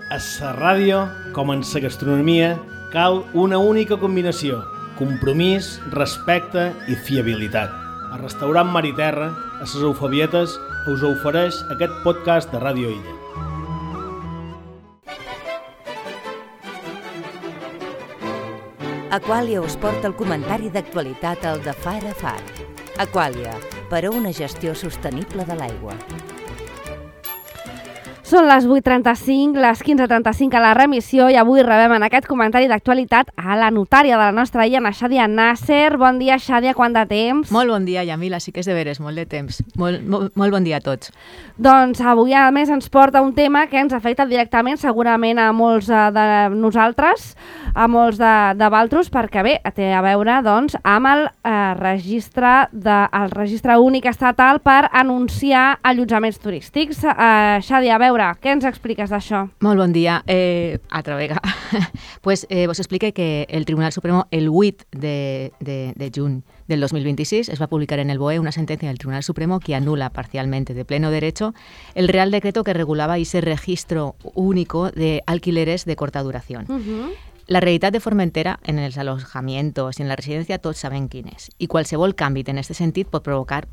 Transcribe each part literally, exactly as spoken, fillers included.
A la ràdio, com en la gastronomia, cal una única combinació: compromís, respecte i fiabilitat. El restaurant Mar i Terra, a les Eufabietes, us ofereix aquest podcast de Ràdio Illa. Aquàlia us porta el comentari d'actualitat al de Far a Far. Aquàlia, per a una gestió sostenible de l'aigua. Són les vuit trenta-cinc, les quinze trenta-cinc a la remissió i avui rebem en aquest comentari d'actualitat a la notària de la nostra illa, a Xàdia Nasser. Bon dia, Xàdia, quant de temps? Molt bon dia, Yamila, sí que és de veres, molt de temps. Molt, molt, molt bon dia a tots. Doncs avui, a més, ens porta un tema que ens afecta directament, segurament a molts de nosaltres, a molts de, de valtros, perquè bé, té a veure doncs, amb el, eh, registre de, el registre únic estatal per anunciar allotjaments turístics. Eh, Xàdia, a veure, què ens expliques d'això? Molt bon dia. Eh, altra vegada. pues, eh, vos explique que el Tribunal Supremo, el vuit de, de, de juny del dos mil veintiséis, es va publicar en el B O E una sentencia del Tribunal Supremo que anula parcialmente de pleno derecho el Real Decreto que regulaba ese registro único de alquileres de corta duración. Uh-huh. La realitat de Formentera en els alojamientos i en la residència tots sabem quin és. I qualsevol canvi en aquest sentit pot provocar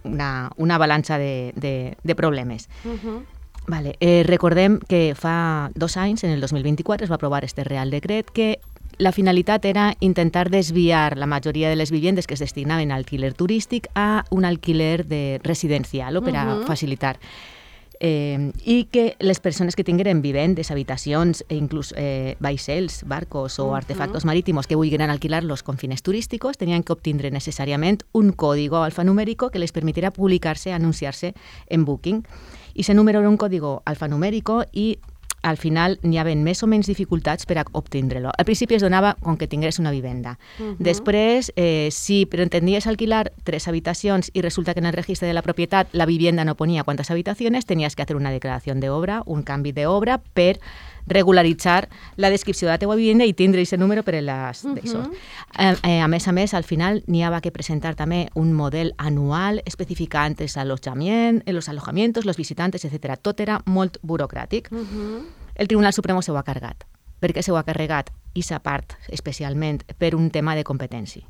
una, una avalanxa de, de, de problemes. Uh-huh. Vale, eh, recordem que fa dos anys, en el dos mil vint-i-quatre, es va aprovar este Real Decret que la finalitat era intentar desviar la majoria de les viviendes que es destinaven a alquiler turístic a un alquiler de residencial, o per a uh-huh. facilitar. Eh, i que les persones que tingueren vivendes, habitacions, e inclús eh, vaixells, barcos o uh-huh. artefactos marítimos que vulguin alquilar-los con fines turísticos tenien que obtindre necessàriament un código alfanumérico que les permitiera publicar-se, anunciar-se en Booking. I ese número era un código alfanumérico i al final n'hi havia més o menys dificultats per a obtindre-lo. Al principi es donava com que tingués una vivenda. Uh-huh. Després, eh, si pretendies alquilar tres habitacions i resulta que en el registre de la propietat la vivienda no ponia quantes habitacions, tenies que fer una declaració d'obra, un canvi d'obra per regularitzar la descripció de la teva vivenda i tindre aquest número per a les d'això. Uh-huh. Eh, eh, a més a més, al final n'hi havia que presentar també un model anual especificant els allotjaments, els alojamientos, els visitantes, etcètera. Tot era molt burocràtic. Uh-huh. El Tribunal Supremo s'ho ha carregat. Per què s'ho ha carregat? I s'ha part especialment per un tema de competència.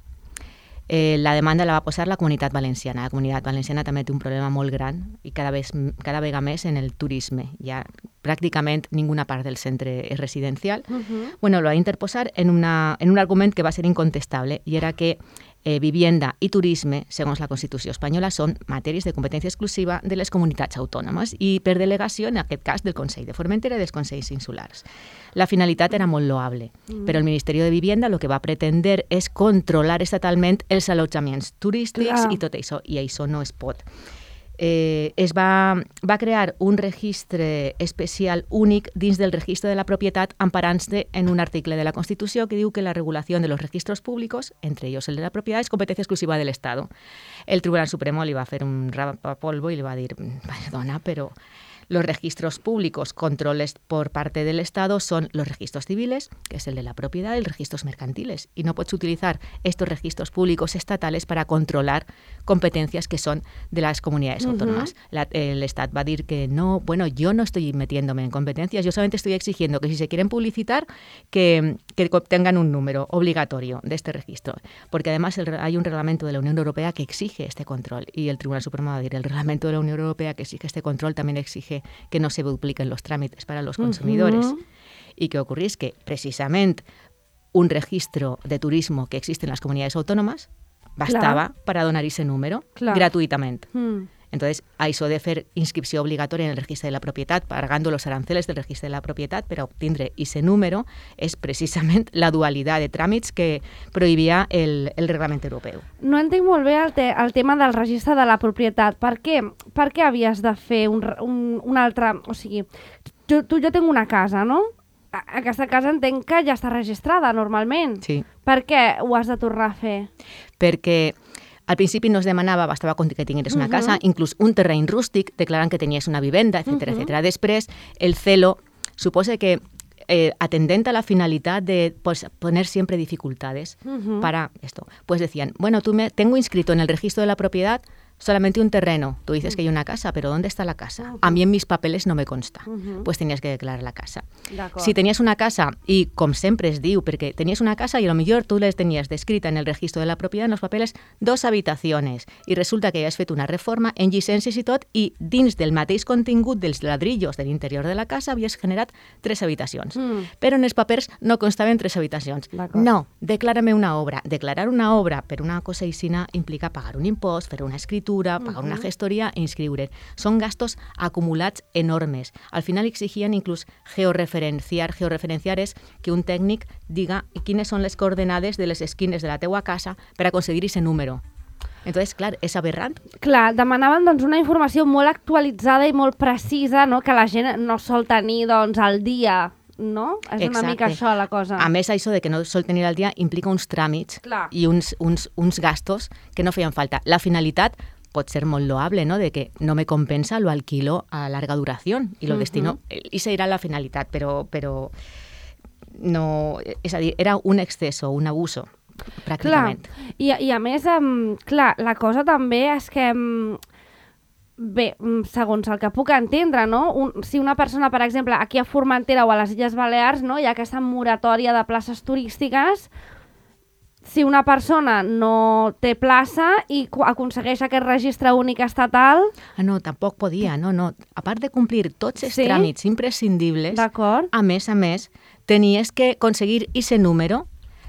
Eh, la demanda la va posar la Comunitat Valenciana. La Comunitat Valenciana també té un problema molt gran i cada, vez, cada vegada més en el turisme. Ja pràcticament ninguna part del centre és residencial. Uh-huh. Bueno, lo va interposar en, una, en un argument que va ser incontestable i era que eh, vivienda i turisme, segons la Constitució espanyola, són matèries de competència exclusiva de les comunitats autònomes i per delegació, en aquest cas, del Consell de Formentera i dels Consells Insulars. La finalitat era molt loable, mm. però el Ministeri de Vivienda el que va pretendre és controlar estatalment els allotjaments turístics Clar. i tot això, i això no es pot. Eh, es va, va crear un registre especial únic dins del registre de la propietat emparant-se en un article de la Constitució que diu que la regulació de los registros públicos, entre ellos el de la propietat, és competència exclusiva del Estado. El Tribunal Supremo li va fer un rapapolvo i li va dir, perdona, però los registros públicos controles por parte del Estado son los registros civiles, que es el de la propiedad, y los registros mercantiles. Y no puedes utilizar estos registros públicos estatales para controlar competencias que son de las comunidades uh-huh. autónomas. La, el Estado va a decir que no, bueno, yo no estoy metiéndome en competencias, yo solamente estoy exigiendo que si se quieren publicitar, que, que tengan un número obligatorio de este registro. Porque además el, hay un reglamento de la Unión Europea que exige este control. Y el Tribunal Supremo va a decir, el reglamento de la Unión Europea que exige este control también exige que no se dupliquen los trámites para los consumidores. Uh-huh. Y que ocurrís que precisament un registro de turismo que existe en las comunidades autónomas bastaba Clar. para donar ese número Clar. gratuitamente. Mm. Entonces, això de fer inscripció obligatòria en el registre de la propietat, pagando los aranceles del registre de la propietat per a obtindre ese número, és precisament la dualitat de tràmits que prohibia el, el reglament europeu. No entenc molt bé el, te, el tema del registre de la propietat. Per què, per què havies de fer un, un, un altre... O sigui, tu, tu jo tinc una casa, no? Aquesta casa entenc que ja està registrada normalment. Sí. Per què ho has de tornar a fer? Perquè al principi no es demanava, bastava que tingués una uh-huh. casa, inclús un terreny rústic, declarant que tenies una vivenda, etcètera, uh-huh. etcètera. Després, el celo suposa que eh, atendent a la finalidad de pues, poner siempre dificultades uh-huh. para esto, pues decían, bueno, tú me tengo inscrito en el registro de la propiedad solamente un terreno. Tú dices que hay una casa, pero ¿dónde está la casa? Uh-huh. A mí en mis papeles no me consta. Uh-huh. Pues tenías que declarar la casa. Si tenías una casa, i com sempre es diu, perquè tenies una casa i a lo millor tu les tenies descrita en el registro de la propietat, en los papeles, dos habitaciones, i resulta que havies fet una reforma en llicències i tot, i dins del mateix contingut dels ladrillos de l'interior de la casa havies generat tres habitacions. Mm. Però en els papers no constaven tres habitacions. No, declárame una obra. Declarar una obra per una cosa aixina implica pagar un impost, fer una escritura, pagar uh-huh. una gestoria e inscriure. Són gastos acumulats enormes. Al final exigien inclús georreferenciar. Georreferenciar és que un tècnic diga quines són les coordenades de les esquines de la teua casa per aconseguir aquest número. Entonces, clar, és aberrant. Clar, demanaven doncs, una informació molt actualitzada i molt precisa, no? Que la gent no sol tenir doncs, al dia, no? És Exacte. Una mica això la cosa. A més, això de que no sol tenir al dia implica uns tràmits Clar. I uns, uns, uns gastos que no feien falta. La finalitat pot ser molt loable, ¿no? De que no me compensa, lo alquilo a larga duración y lo uh-huh. destino. I esa era la finalitat, però, però no, és a dir, era un exceso, un abuso, pràcticament. Clar. I, i a més, um, clar, la cosa també és que, um, bé, segons el que puc entendre, no? Un, si una persona, per exemple, aquí a Formentera o a les Illes Balears, no? Hi ha aquesta moratòria de places turístiques. Si una persona no té plaça i aconsegueix aquest registre únic estatal... Ah, no, tampoc podia, no, no. A part de complir tots els sí? tràmits imprescindibles, a més a més, tenies que aconseguir aquest número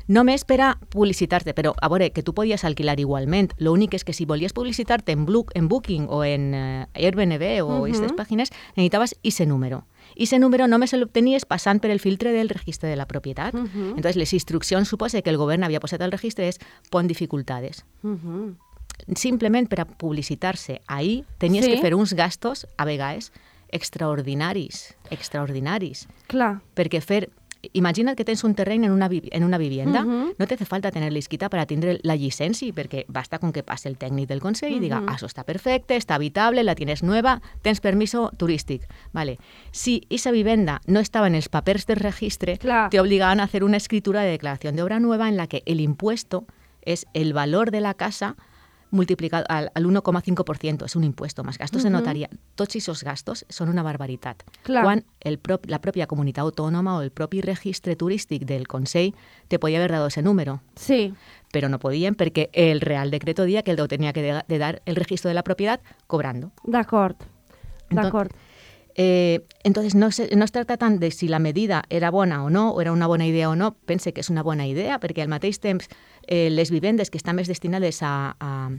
només per a publicitar-te. Però, a veure, que tu podies alquilar igualment. L'únic és que si volies publicitar-te en, en Booking o en uh, Airbnb o aquestes uh-huh. pàgines, necessitaves aquest número. I aquest número només l'obtenies passant per el filtre del registre de la propietat. Uh-huh. Entonces, les instruccions suposa que el govern havia posat al registre és pon dificultades. Uh-huh. Simplement per a publicitar-se ahí tenies sí? que fer uns gastos, a vegades, extraordinaris. Extraordinaris. Clar. Perquè fer... Imagina't que tens un terreny en una, en una vivienda, uh-huh. no te hace falta tener l'esquita para tindre la llicència, perquè basta con que passe el tècnic del Consell uh-huh. i diga, ah, eso está perfecte, está habitable, la tienes nueva, tens permiso turístic. Vale. Si esa vivienda no estaba en els papers del registre, Clar. Te obligaban a hacer una escritura de declaración de obra nueva en la que el impuesto es el valor de la casa multiplicado al, al uno coma cinco por ciento, és un impuesto, més gastos uh-huh. de notaria. Tots aquests gastos són una barbaritat. Clar. Quan el prop, la pròpia comunitat autònoma o el propi registre turístic del Consell te podia haver dado ese número. Sí. Però no podien perquè el Real Decreto dia que el tenia que de, de dar el registro de la propietat cobrando. D'acord, d'acord. Eh, entonces, no, se, no es tracta tant de si la medida era bona o no, o era una bona idea o no. Pense que és una bona idea, perquè al mateix temps eh, les vivendes que estan més destinades a, a,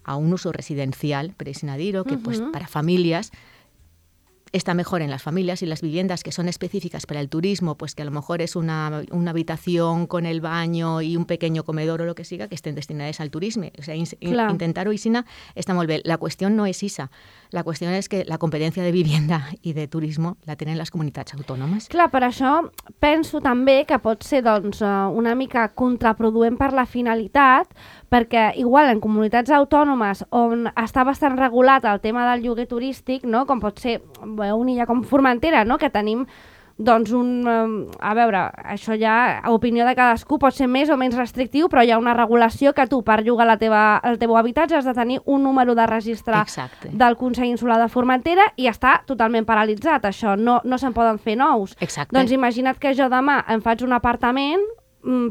a un uso residencial, per així dir-ho, que uh-huh. pues, para familias, está mejor en las familias, y las viviendas que son específicas para el turismo, pues que a lo mejor es una, una habitación con el baño y un pequeño comedor o lo que siga, que estén destinadas al turismo. O sea, in, intentar-ho aixina està molt bé. La qüestió no és esa. La qüestió és que la competència de vivienda i de turismo la tenen les comunitats autònomes. Clar, per això penso també que pot ser doncs, una mica contraproduent per la finalitat, perquè igual en comunitats autònomes on està bastant regulat el tema del lloguer turístic, no? Com pot ser una illa com Formentera, no? Que tenim doncs un... A veure, això ja, a opinió de cadascú, pot ser més o menys restrictiu, però hi ha una regulació que tu, per llogar la teva, el teu habitatge, has de tenir un número de registre Exacte. Del Consell Insular de Formentera i està totalment paralitzat, això. No, no se'n poden fer nous. Exacte. Doncs imagina't que jo demà em faig un apartament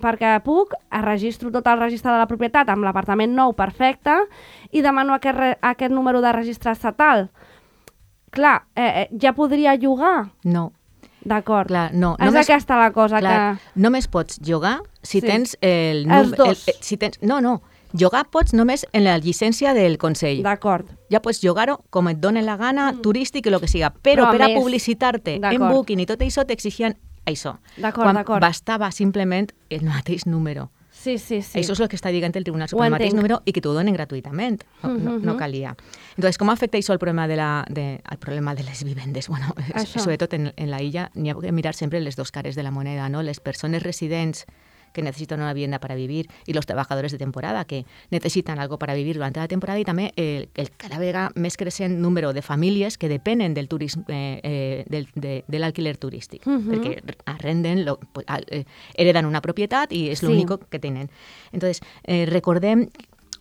perquè puc, registro tot el registre de la propietat amb l'apartament nou perfecte i demano aquest, re, aquest número de registre estatal. Clar, eh, ja podria llogar? No. D'acord. Clar, no. És només, aquesta la cosa clar, que... Només pots llogar si sí. tens el... Els dos. El, si tens, no, no. Llogar pots només en la llicència del Consell. D'acord. Ja pots llogar-ho com et doni la gana, mm. turístic i el que siga. Però, Però per a més... publicitar-te en Booking i tot això t'exigien això. D'acord, d'acord. Bastava simplement el mateix número. Sí, sí, sí. Això és el que està dient el Tribunal Suprem, el mateix número, i que t'ho donen gratuïtament. No, no, no calia. Entonces, com afecta això el problema de, la, de, el problema de les vivendes? Bueno, això. Sobretot en, en la illa, n'hi ha que mirar sempre les dos cares de la moneda, ¿no? Les persones residents que necesitan una vivienda para vivir y los trabajadores de temporada que necesitan algo para vivir durante la temporada y també el, el cada vegada més creixent número de famílies que depenen del turisme, eh, eh, del, de, de l'alquiler turístic, uh-huh. perquè arrenden, lo, eh, hereden una propietat i és sí. l'únic que tenen. Entonces, eh, recordem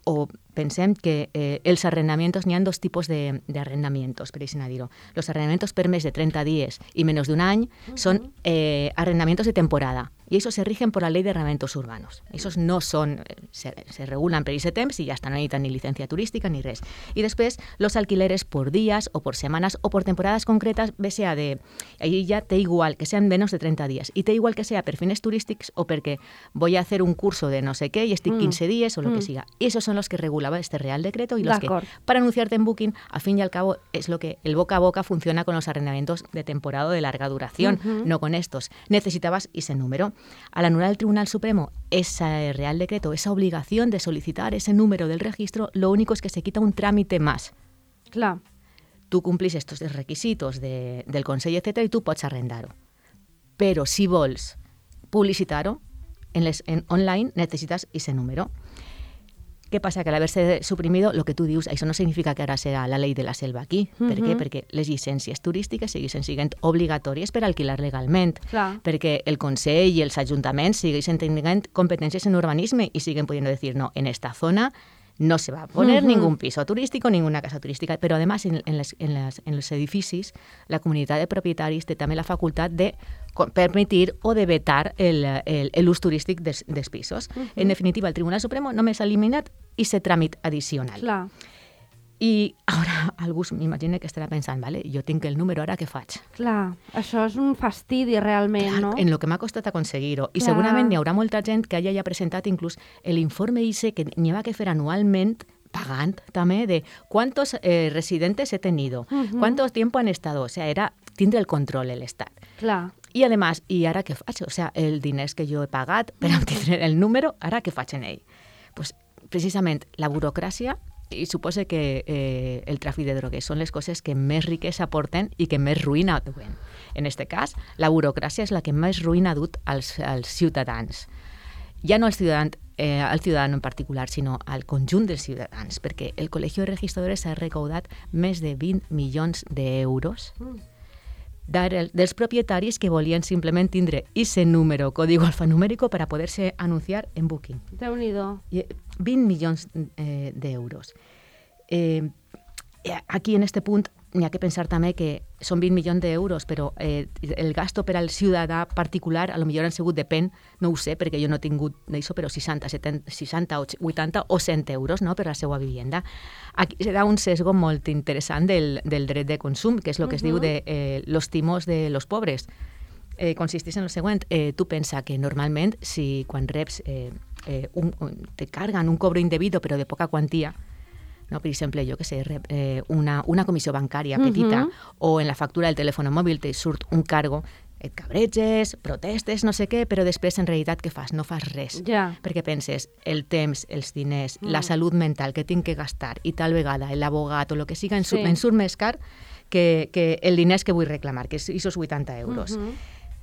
o pensem que eh, els arrendamientos, n'hi ha dos tipos de, de arrendamientos, per així dir-ho. Los arrendamientos per més de treinta días y menos de un año uh-huh. son eh, arrendamientos de temporada. Y esos se rigen por la ley de arrendamientos urbanos. Esos no son, se, se regulan per ese temps y ya está, no necesitan ni licencia turística ni res. Y después los alquileres por días o por semanas o por temporadas concretas, bé sea de, ahí ya té igual que sean menos de treinta días y té igual que sea per fines turístics o perquè voy a hacer un curso de no sé qué y estic mm. quince días o lo mm. que siga. Esos son los que regulaba este Real Decreto y los que, para anunciarte en Booking, al fin y al cabo, es lo que el boca a boca funciona con los arrendamientos de temporada o de larga duración, mm-hmm. no con estos. Necesitabas ese número. Al anular el Tribunal Supremo ese Real Decreto, esa obligación de solicitar ese número del registro, lo único es que se quita un trámite más. Clar. Tu complis estos requisitos de, del Consell, etcètera, i tu pots arrendar-ho. Però si vols publicitar-ho en les, en online, necessites ese número. ¿Qué pasa? Que al haberse suprimido, lo que tú dius, això no significa que ara serà la llei de la selva aquí. Uh-huh. Per què? Perquè les llicències turístiques segueixen sent obligatòries per alquilar legalment. Clar. Perquè el Consell i els ajuntaments segueixen tenint competències en urbanisme i siguen pudiendo decir, no, en esta zona no se va a poner uh-huh. ningún piso turístico, ninguna casa turística, pero además en, en, les, en, les, en los edificis la comunitat de propietaris té també la facultat de permitir o de vetar l'ús turístic dels, dels pisos. Uh-huh. En definitiva, el Tribunal Supremo només ha eliminat aquest tràmit addicional. Clar. I ara algú m'imagina que estarà pensant, vale, jo tinc el número, ara què faig? Clar, això és un fastidi realment, Clar, no? En lo que m'ha costat aconseguir-ho. I Clar. segurament n'hi haurà molta gent que hagi ja presentat inclús l'informe I C E que n'hi ha que fer anualment pagant també de quantos eh, residentes he tenido, uh-huh. cuánto tiempo han estado, o sea, era tindre el control el Estat. Clar. I, además, i ara què faig? O sea, el diners que jo he pagat per obtenir el número, ara què faig en ell? Pues, precisament, la burocràcia i suposa que eh, el tràfic de drogues són les coses que més riquesa aporten i que més ruïna duen. En aquest cas, la burocràcia és la que més ruïna ha dut als, als ciutadans. Ja no als ciutadans, eh, al ciutadano en particular, sinó al conjunt dels ciutadans, perquè el Col·legi de Registradores ha recaudat més de vint milions d'euros dels propietaris que volien simplement tindre ese número, código alfanumérico, para poderse anunciar en Booking. Déu-n'hi-do. vint milions eh, d'euros. Eh, aquí, en este punt, n'hi ha que pensar també que són vint milions d'euros, però eh, el gasto per al ciutadà particular, a lo millor han sigut, depèn, no ho sé, perquè jo no he tingut d'això, però seixanta, setanta, seixanta, vuitanta o cent euros, no?, per la seva vivenda. Aquí serà un sesgo molt interessant del, del dret de consum, que és el que uh-huh. es diu de eh, los timos de los pobres. Eh, consisteix en el següent. Eh, tu pensa que normalment, si quan reps eh, eh, un, un, te carguen un cobro indebido, però de poca quantia, no? Per exemple, jo que sé, eh, una, una comissió bancària petita uh-huh. o en la factura del telèfon mòbil te surt un cargo, et cabreges, protestes, no sé què, però després en realitat què fas? No fas res. Yeah. Perquè penses el temps, els diners, mm. la salut mental que tinc que gastar i tal vegada l'abogat o el que siga en, sí. en surt més car que, que el diners que vull reclamar, que és aquests vuitanta euros. Uh-huh.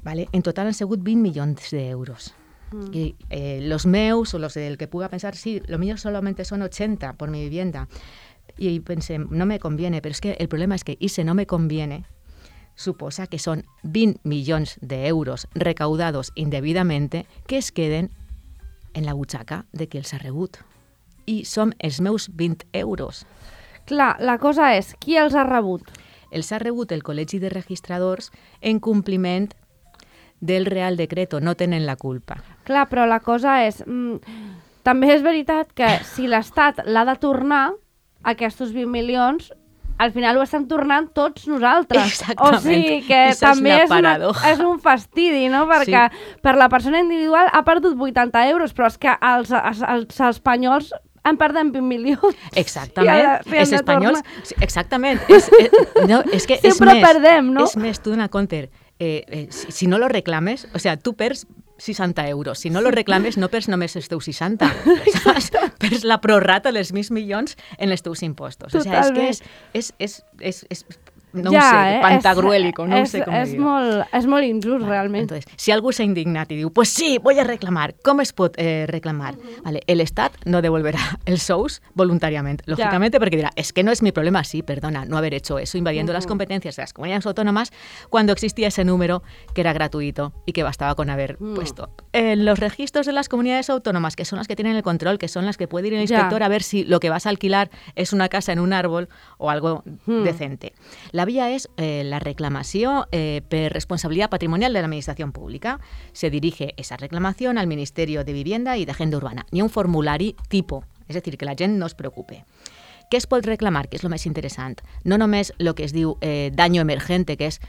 Vale? En total han sigut vint milions d'euros. Mm. Y eh, los meus o los del que pueda pensar, sí, lo mío solamente son ochenta por mi vivienda. Y pensé, no me conviene, pero es que el problema es que ese no me conviene suposa que son vint milions d'euros recaudados indebidamente que es queden en la butxaca de qui els ha rebut. I som els meus vint euros. Clar, la cosa és, qui els ha rebut? Els ha rebut el Col·legi de Registradors en compliment del Real Decreto, no tenen la culpa. Clar, però la cosa és... Mm, també és veritat que si l'Estat l'ha de tornar, aquests vint milions, al final ho estan tornant tots nosaltres. Exactament. O sigui que Esa també és, és, una, és un fastidi, no? Perquè sí. per la persona individual ha perdut vuitanta euros, però és que els, els, els espanyols en perden vint milions. Exactament. Si els espanyols... Exactament. És, és, no, és que Sempre és més, perdem, no? És més, tu dona compte, eh, eh, si, si no lo reclames, o sea, tu perds seixanta euros. Si no lo reclames, no perds només els teus seixanta. Saps? Perds la prorrata dels mil milions en els teus impostos. O sea, és que és, és, és, és, és no ja, ho sé, eh? pantagruélico, no és, sé com és dir-ho. molt, és molt injust, vale, realment. Entonces, si algú s'ha indignat i diu, pues sí, voy a reclamar, ¿cómo es pot eh, reclamar? Uh-huh. Vale, el Estat no devolverá el sous voluntariamente, lógicamente, ja. Porque dirá, es que no es mi problema, sí, perdona, no haber hecho eso, invadiendo uh-huh. las competencias de las comunidades autónomas cuando existía ese número que era gratuito y que bastaba con haber uh-huh. puesto. En los registros de las comunidades autónomas, que son las que tienen el control, que son las que puede ir el inspector ja. a ver si lo que vas a alquilar es una casa en un árbol o algo uh-huh. decente. La vía es eh, la reclamació eh, per responsabilidad patrimonial de la Administración Pública. Se dirige esa reclamación al Ministerio de Vivienda y de Agenda Urbana. Ni un formulari tipo, és a dir, que la gent no es preocupe. Què es pot reclamar, que és el més interessant? No només el que es diu eh, daño emergente, que és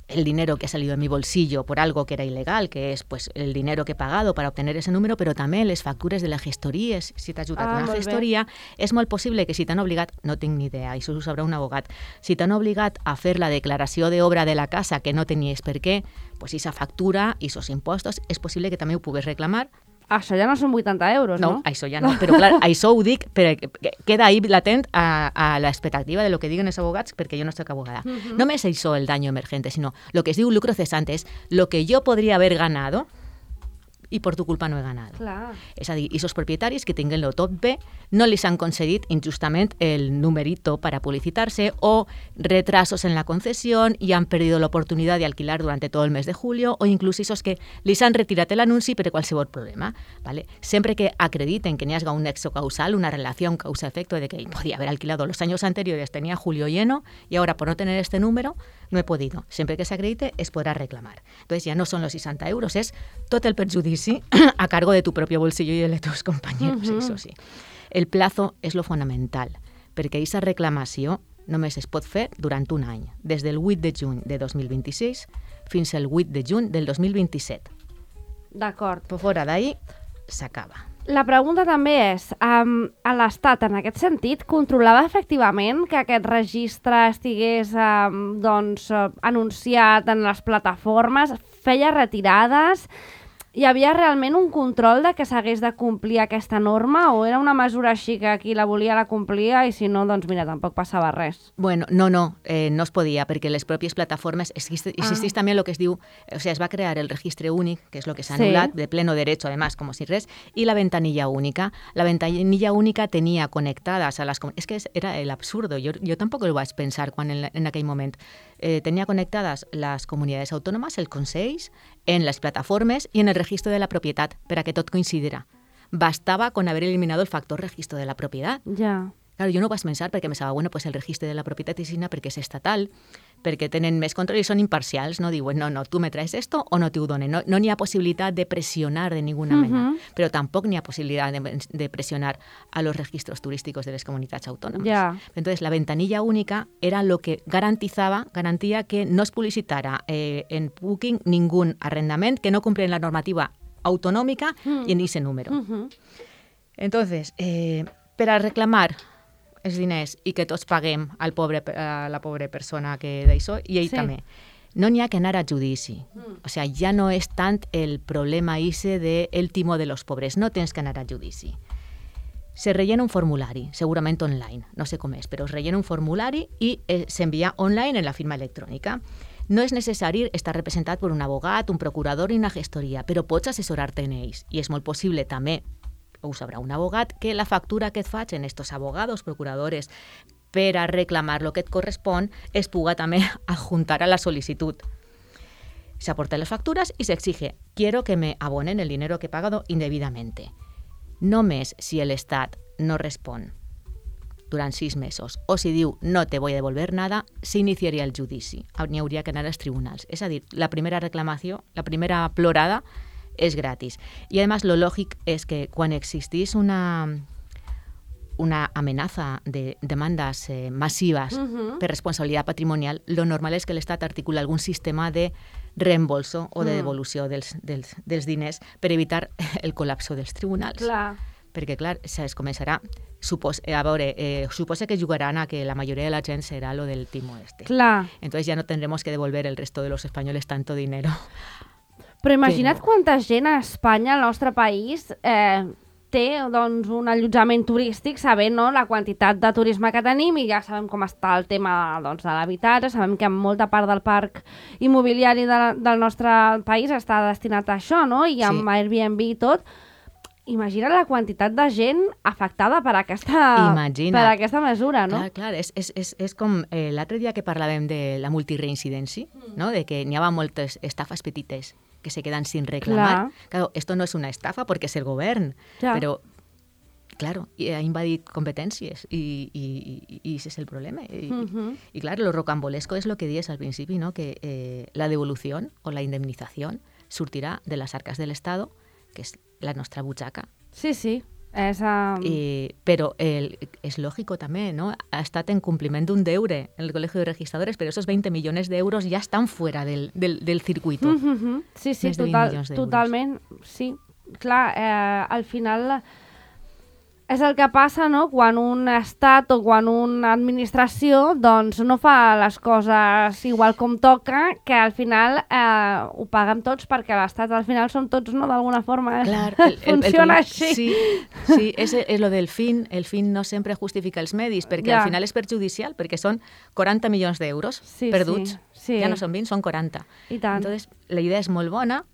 el dinero que ha salido de mi bolsillo por algo que era ilegal, que es pues el dinero que he pagado para obtener ese número, però també les factures de la gestoria, si t'ha ajudat ah, una gestoria, bé. És molt possible que si t'han obligat, no tinc ni idea, això ho sabrà un abogat, si t'han obligat a fer la declaració d'obra de la casa que no tenies per què, pues esa factura i esos impostos és possible que també ho pugues reclamar. Això ja no són vuitanta euros, no? No, això ja no, però clar, això ho dic, però queda ahí latent a, a l'expectativa de lo que diguen els abogats, perquè jo no soc abogada. Uh-huh. No només això el daño emergente, sinó lo que es diu lucro cesante, és lo que jo podria haver ganado i per tu culpa no he ganado. Clar. És a dir, aquests propietaris que tinguen-lo tot bé no li han concedit injustament el numerito para publicitarse o retrasos en la concesión y han perdido la oportunidad de alquilar durante todo el mes de julio o inclús esos que li han retirat l'anunci per qualsevol problema. ¿Vale? Sempre que acrediten que n'hi hagi un nexo causal, una relación causa-efecto de que podía haber alquilado los años anteriores, tenía julio lleno y ahora por no tener este número no he podido. Siempre que se acredite es podrá reclamar. Entonces ya no son los sesenta euros, es tot el perjudici a cargo de tu propio bolsillo y el de tus compañeros, uh-huh. Eso sí. El plazo és lo fonamental, perquè aquesta reclamació només es pot fer durant un any, des del vuit de juny de dos mil vint-i-sis fins al vuit de juny del dos mil vint-i-set. D'acord. Per fora d'ahir s'acaba. La pregunta també és, um, a l'Estat, en aquest sentit, controlava efectivament que aquest registre estigués um, doncs, uh, anunciat en les plataformes, feia retirades? Hi havia realment un control de que s'hagués de complir aquesta norma o era una mesura així que qui la volia la complia i si no, doncs mira, tampoc passava res? Bueno, no, no, eh, no es podia perquè les pròpies plataformes, existeix ah. també el que es diu, o sea, es va crear el registre únic, que és el que s'ha anul·lat, sí. De pleno derecho, además, como si res, y la ventanilla única. La ventanilla única tenía conectadas a las... Es que era el absurdo, yo, yo tampoco lo vaig pensar quan en, en aquell moment. Eh, tenía conectadas las comunidades autónomas, el Consell, en les plataformes i en el registro de la propietat, per a que tot coincidiera. Bastava con haber eliminado el factor registro de la propietat. Ja. Claro, jo no ho vaig pensar perquè pensava, bueno, pues el registre de la propietat és signa perquè és estatal, perquè tenen més control i són imparcials, no diuen, no, no, tu me traes esto o no te ho donen. No, no n'hi ha possibilitat de pressionar de ninguna uh-huh. mena, però tampoc n'hi ha possibilitat de, de pressionar a los registros turísticos de les comunitats autònomes. Yeah. Entonces, la ventanilla única era lo que garantizaba, garantía que no es publicitara eh, en Booking ningún arrendament que no cumple la normativa autonòmica uh-huh. y en ese número. Uh-huh. Entonces, eh, per a reclamar els diners i que tots paguem al pobre, a la pobra persona que d'això, i ell sí. també. No n'hi ha que anar a judici. Mm. O sea, ja no és tant el problema ese de el timo de los pobres. No tens que anar a judici. Se rellena un formulari, segurament online, no sé com és, però es rellena un formulari i eh, s'envia online en la firma electrònica. No és necessari estar representat per un abogat, un procurador i una gestoria, però pots assessorar-te en ells. I és molt possible també, ho sabrà un abogat, que la factura que et faig en estos abogados, procuradores, per a reclamar lo que et correspon, es puga també adjuntar a la sol·licitud. Se aportan las facturas y se exige, quiero que me abonen el dinero que he pagado indebidamente. Només si el Estat no respon durant sis mesos o si diu no te voy a devolver nada, s'iniciaria el judici. N'hi hauria que anar als tribunals. És a dir, la primera reclamació, la primera plorada, és gratis. I, a més, lo lògic és que quan existís una, una amenaza de demandes eh, massives uh-huh. per responsabilitat patrimonial, lo normal és que l'Estat articula algun sistema de reembolso o de devolució dels, dels, dels diners per evitar el col·lapso dels tribunals. Clar. Perquè, clar, es començarà... Supos, a veure, eh, suposa que jugaran a que la mayoría de la gent será lo del timo este. Clar. Entonces ya no tendremos que devolver el resto de los españoles tanto dinero. Però imagina't Però... quanta gent a Espanya, al nostre país, eh, té doncs, un allotjament turístic sabent no, la quantitat de turisme que tenim i ja sabem com està el tema doncs, de l'habitatge, sabem que molta part del parc immobiliari de, del nostre país està destinat a això, no? I amb sí. Airbnb i tot. Imagina la quantitat de gent afectada per aquesta, per aquesta mesura, no? Clar, clar, és, és, és, és com eh, l'altre dia que parlàvem de la multireincidència, mm. no? De que n'hi ha moltes estafes petites que se quedan sin reclamar. Clar. Claro, esto no es una estafa porque es el govern, ja. Pero, claro, ha invadit competències i, i, i ese es el problema. I, uh-huh. y claro, lo rocambolesco es lo que dies al principi, ¿no? Que eh, la devolución o la indemnización sortirà de las arcas del Estado, que és la nostra butxaca. Sí, sí. És, um... I, però el, és lògic també, ¿no? Ha estat en compliment d'un deure en el Colegio de Registradores, però esos veinte millones d'euros ja estan fuera del, del, del circuito. Mm-hmm. Sí, sí, total, totalment. Sí, clar, eh, al final és el que passa, no?, quan un estat o quan una administració doncs, no fa les coses igual com toca, que al final eh, ho paguem tots perquè l'estat al final som tots, no?, d'alguna forma. Clar, el, funciona el, el, així. Sí, sí és, és lo del fin. El fin no sempre justifica els medis, perquè ja. Al final és perjudicial, perquè són quaranta milions d'euros sí, perduts. Sí, sí. Ja no són vint, són quaranta. I tant. Entonces, la idea és molt bona.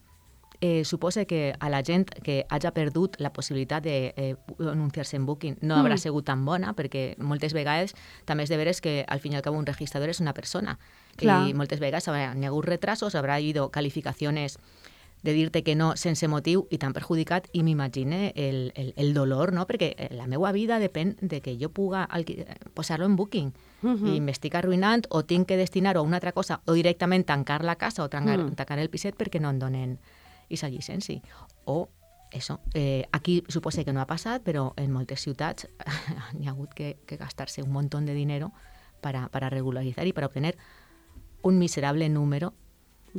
Eh, suposa que a la gent que hagi perdut la possibilitat d'anunciar-se eh, en Booking no haurà mm. sigut tan bona, perquè moltes vegades també és de veres que al fin i al cabo un registrador és una persona. Clar. I moltes vegades n'hi ha hagut retrasos, haurà habido calificaciones de dir-te que no sense motiu i t'han perjudicat i m'imagine el, el, el dolor, no? Perquè la meva vida depèn de que jo puga posar-lo en Booking mm-hmm. i m'estic arruïnant o tinc que destinar-ho a una altra cosa o directament tancar la casa o tancar, mm. tancar el piset perquè no em donen esa llicència. O, eso, eh, aquí suposa que no ha passat, però en moltes ciutats n'hi ha hagut que, que gastar-se un montón de dinero para, para regularizar y para obtener un miserable número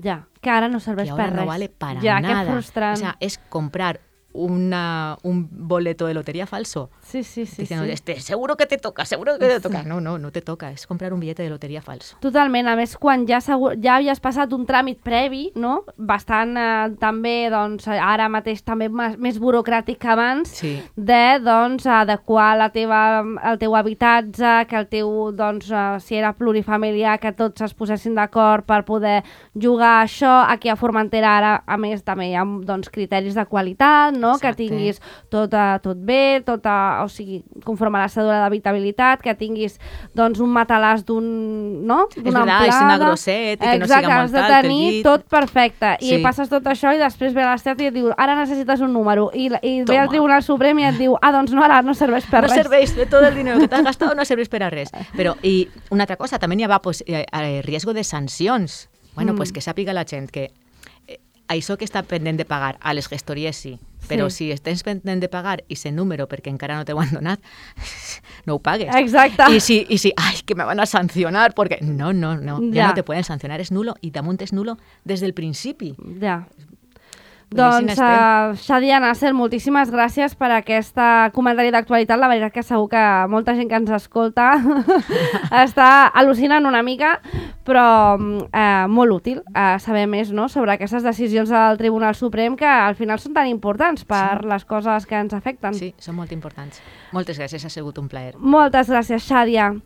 ja, que ara no serveix que per res. res. No vale para ja, nada. Que frustrant. O sea, es comprar una, un boleto de lotería falso. Sí, sí, sí. Diciendo, sí. Este, seguro que te toca, seguro que te toca. No, no, no te toca. Es comprar un billete de lotería falso. Totalment. A més, quan ja, segur, ja havies passat un tràmit previ, no? Bastant eh, també, doncs, ara mateix també més burocràtic que abans, sí. de, doncs, adequar la teva, el teu habitatge, que el teu, doncs, eh, si era plurifamiliar, que tots es posessin d'acord per poder jugar a això. Aquí a Formentera ara, a més, també hi ha, doncs, criteris de qualitat, no? Que tinguis tot, uh, tot bé, tot, uh, o sigui, conforme a la cèdula d'habitabilitat, que tinguis doncs, un matalàs d'un, no? d'una amplada. És una grosset i que no exacte, siga molt alt. Has de tenir tot perfecte. Sí. I passes tot això i després ve l'Estat i et diu ara necessites un número. I, i ve el Tribunal Suprem i et diu ah, doncs no, ara no serveix per no res. No serveix, de tot el dinero que t'has gastat no serveix per a res. Però, i una altra cosa, també hi ha pues, eh, riesgo de sancions. Bueno, mm. pues que sàpiga la gent que eh, això que està pendent de pagar a les gestories sí, però sí. Si estàs pendent de pagar i ese número perquè encara no t'ho han donat, no ho pagues. Exacte. I si, i si, ai, que me van a sancionar, perquè no, no, no, ja, ja no te pueden sancionar, és nulo i damunt és nulo des del principi. Ja. Doncs, uh, Xadia Nasser, moltíssimes gràcies per aquest comentari d'actualitat. La veritat que segur que molta gent que ens escolta està al·lucinant una mica, però uh, molt útil uh, saber més, no?, sobre aquestes decisions del Tribunal Suprem que al final són tan importants per sí. les coses que ens afecten. Sí, són molt importants. Moltes gràcies, ha sigut un plaer. Moltes gràcies, Xadia.